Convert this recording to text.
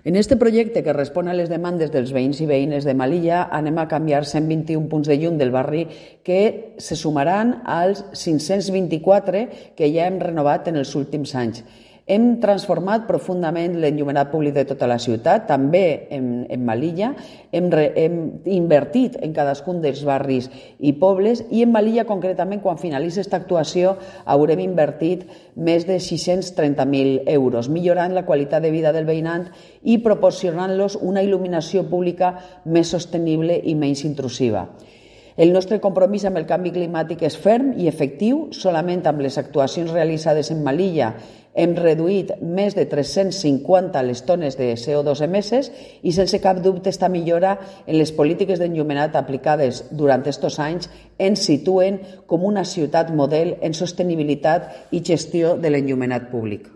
En este projecte, que respon a les demandes dels veïns i veïnes de Melilla, anem a canviar 121 punts de llum del barri que se sumaran als 524 que ja hem renovat en els últims anys. Hem transformat profundament l'enllumenat públic de tota la ciutat, també en Melilla. Hem invertit en cadascun dels barris i pobles i en Melilla, concretament, quan finalitzi aquesta actuació, haurem invertit més de 630.000 euros, millorant la qualitat de vida del veïnat i proporcionant-los una il·luminació pública més sostenible i menys intrusiva. El nostre compromís amb el canvi climàtic és ferm i efectiu. Solament amb les actuacions realitzades en Melilla hem reduït més de 350 les tones de CO2 emeses i sense cap dubte esta millora en les polítiques d'enllumenat aplicades durant aquests anys ens situen com una ciutat model en sostenibilitat i gestió de l'enllumenat públic.